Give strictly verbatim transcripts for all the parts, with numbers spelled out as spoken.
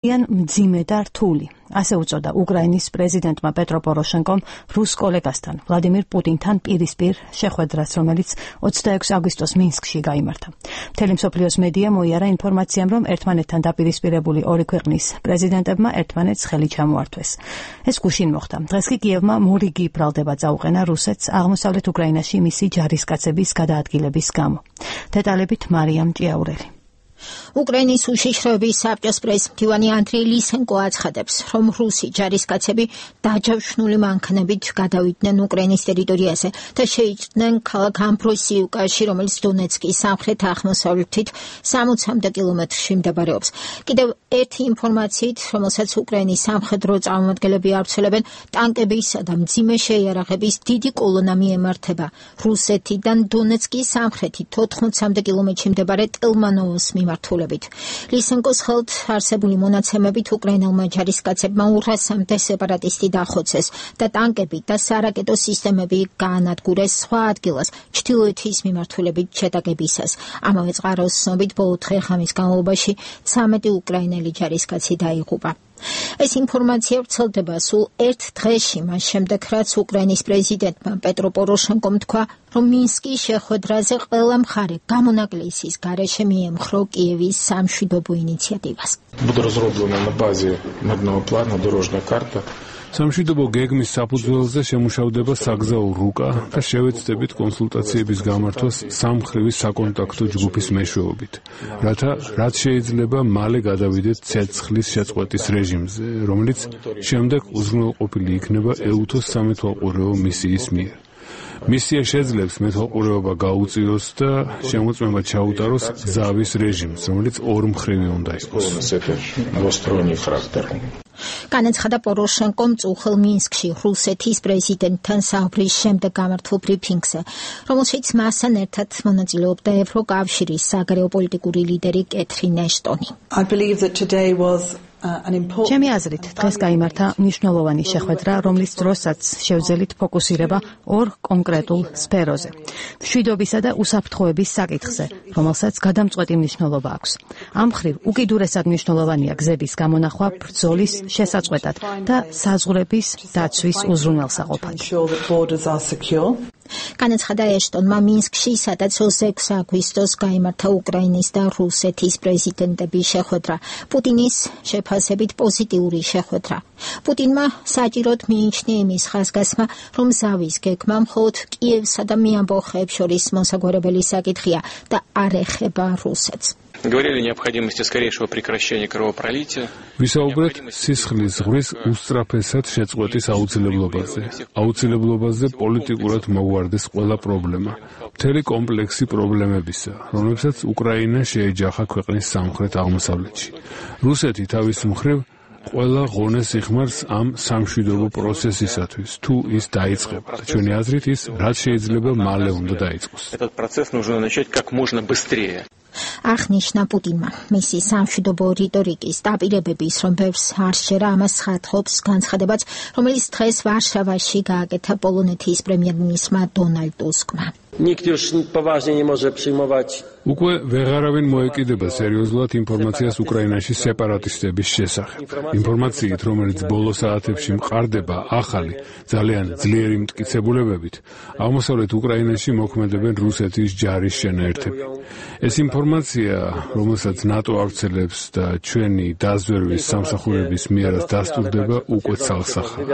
ძალიან მძიმე და რთული. ასე უწოდა უკრაინის პრეზიდენტმა პეტრო პოროშენკომ რუს კოლეგასთან ვლადიმირ პუტინთან პირისპირ შეხვედრას, რომელიც ოცდაექვსი აგვისტოს მინსკში გაიმართა. მთელი მსოფლიოს მედია მოიარა ინფორმაციამ, რომ ერთმანეთთან დაპირისპირებული ორი ქვეყნის პრეზიდენტებმა ერთმანეთს ხელი ჩამოართვეს. ეს გუშინ მოხდა. დღეს კი კიევმა მორიგი ბრალდება წაუყენა რუსეთს აღმოსავლეთ უკრაინაში მისი ჯარისკაცების გადაადგილების გამო. დეტალებით მარიამ ჭიაურელი. უკრაინის უშიშროების საბჭოს პრეზიდენტი ანდრეი ლისენკო აცხადებს, რომ რუსი ჯარისკაცები დაჯავშნული მანქანებით გადავიდნენ უკრაინის ტერიტორიაზე და შეიჭრნენ ქალაქ ამბროსიუკაში, რომელიც დონეცკის სამხრეთ-აღმოსავლეთით სამოცამდე კილომეტრში მდებარეობს. კიდევ ერთი ინფორმაციით, რომელსაც უკრაინის სამხედრო წარმომადგენლები ავრცელებენ, ტანკებისა და მძიმე შეიარაღების დიდი კოლონა მიემართება რუსეთიდან დონეცკის სამხრეთით ოთხმოცამდე კილომეტრში მდებარე ტელმანოვოს მიმართულებით. ლისენკოს ხელთ არსებული მონაცემებით უკრაინელმა ჯარისკაცებმა ორასამდე სეპარატისტი დახოცეს და ტანკები და სარაკეტო სისტემები გაანადგურეს სხვა ადგილას ჩრდილოეთის მიმართულებით შეტაკებისას. ამავე წყაროს ცნობით ბოლო დღე-ღამის განმავლობაში ცამეტი უკრაინელი ჯარისკაცი დაიღუპა. ეს ინფორმაცია ვრცელდება სულ ერთ დღეში, მას შემდეგ, რაც უკრაინის პრეზიდენტმა პეტრო პოროშენკომ თქვა, რომ მინსკის შეხვედრაზე ყველა მხარე გამონაკლისის გარეშე მიემხრო კიევის სამშვიდობო ინიციატივას. Буде розроблена на базі мирного плану дорожня карта. სამშვიდობო გეგმის საფუძველზე შემუშავდება საგზაო რუკა და შევეცდებით კონსულტაციების გამართვას სამმხრივი საკონტაქტო ჯგუფის მეშვეობით, რათა რაც შეიძლება მალე გადავიდეთ ცეცხლის შეწყვეტის რეჟიმზე, რომელიც შემდეგ უზრუნველყოფილი იქნება ეუთოს სამეთვალყურეო მისიის მიერ. მისია შეძლებს მეთვალყურეობა გაუწიოს და შემოწმება ჩაუტაროს გზავის რეჟიმს, რომელიც ორმხრივი უნდა იყოს. განაცხადა პოროშენკომ წუხელ მინსკში რუსეთის პრეზიდენტთან საუბრის შემდეგ გამართულ ბრიფინგზე, რომელშიც მასთან ერთად მონაწილეობდა ევროკავშირის საგარეო პოლიტიკური ლიდერი კეთრინ ეშტონი. ჩემი აზრით, დღეს გაიმართა მნიშვნელოვანი შეხვედრა, რომლის დროსაც შევძელით ფოკუსირება ორ კონკრეტულ სფეროზე. მშვიდობისა და უსაფრთხოების საკითხზე, რომელსაც გადამწყვეტი მნიშვნელობა აქვს. ამ მხრივ უკიდურესად მნიშვნელოვანია გზების გამონახვა ბრძოლის შესაწყვეტად და საზღვრების დაცვის უზრუნველსაყოფად. განაცხადა ეშტონმა მინსკში, სადაც ოცდაექვსი აგვისტოს გაიმართა უკრაინის და რუსეთის პრეზიდენტების შეხვედრა. პუტინის შეფასებით პოზიტიური შეხვედრა. პუტინმა საჭიროდ მიიჩნია იმის ხაზგასმა, რომ ზავის გეგმა მხოლოდ კიევსა და მიამბოხეებს შორის მოსაგვარებელი საკითხია და არ ეხება რუსეთს. Говорили о необходимости скорейшего прекращения кровопролития. ვისაუბრეთ სისხლის ზღვრის უსწრაფესად შეწყვეტის აუცილებლობაზე. აუცილებლობაზე პოლიტიკურად მოგვარდეს ყველა პრობლემა. მთელი კომპლექსი პრობლემებისა, რომლებსაც უკრაინა შეეჯახა ქვეყნის სამხრეთ აღმოსავლეთში. რუსეთი თავის მხრივ ყველა ღონეს იხმარს ამ სამშვიდობო პროცესისათვის, თუ ის დაიწყება. ჩვენი აზრით ის რაც შეიძლება მალე უნდა დაიწყოს. Этот процесс нужно начать как можно быстрее. აღნიშნა პუტინმა მისი სამშვიდობო რიტორიკის დაპირებების, რომ ბევრს არ შეერა, ამას ხათობს განცხადებაც, რომელიც დღეს ვარშავაში გააკეთა პოლონეთის პრემიერ-მინისტრმა დონალდ ტუსკმა. Nikt już poważnie nie może przyjmować. უკვე ვეღარავინ მოეკიდება სერიოზულად ინფორმაციას უკრაინაში სეპარატისტების შესახებ. ინფორმაციით, რომელიც ბოლო საათებში მყარდება ახალი, ძალიან ძლიერი მტკიცებულებებით, აღმოსავლეთ უკრაინაში მოქმედებენ რუსეთის ჯარის შენაერთები. ეს ინფორმაცია, რომელსაც ნატო ავრცელებს და ჩვენი დაზვერვის სამსახურების მიერაც დასტურდება, უკვე ცალსახაა.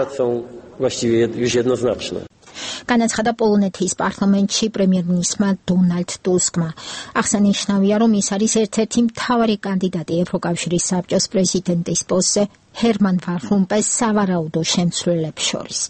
განაცხადა პოლონეთის პარლამენტში პრემიერ-მინისტრმა დონალდ ტუსკმა. აღსანიშნავია, რომ ის არის ერთ-ერთი მთავარი კანდიდატი ევროკავშირის საბჭოს პრეზიდენტის პოსტზე ჰერმან ვან რომპუის სავარაუდო შემცვლელებს შორის.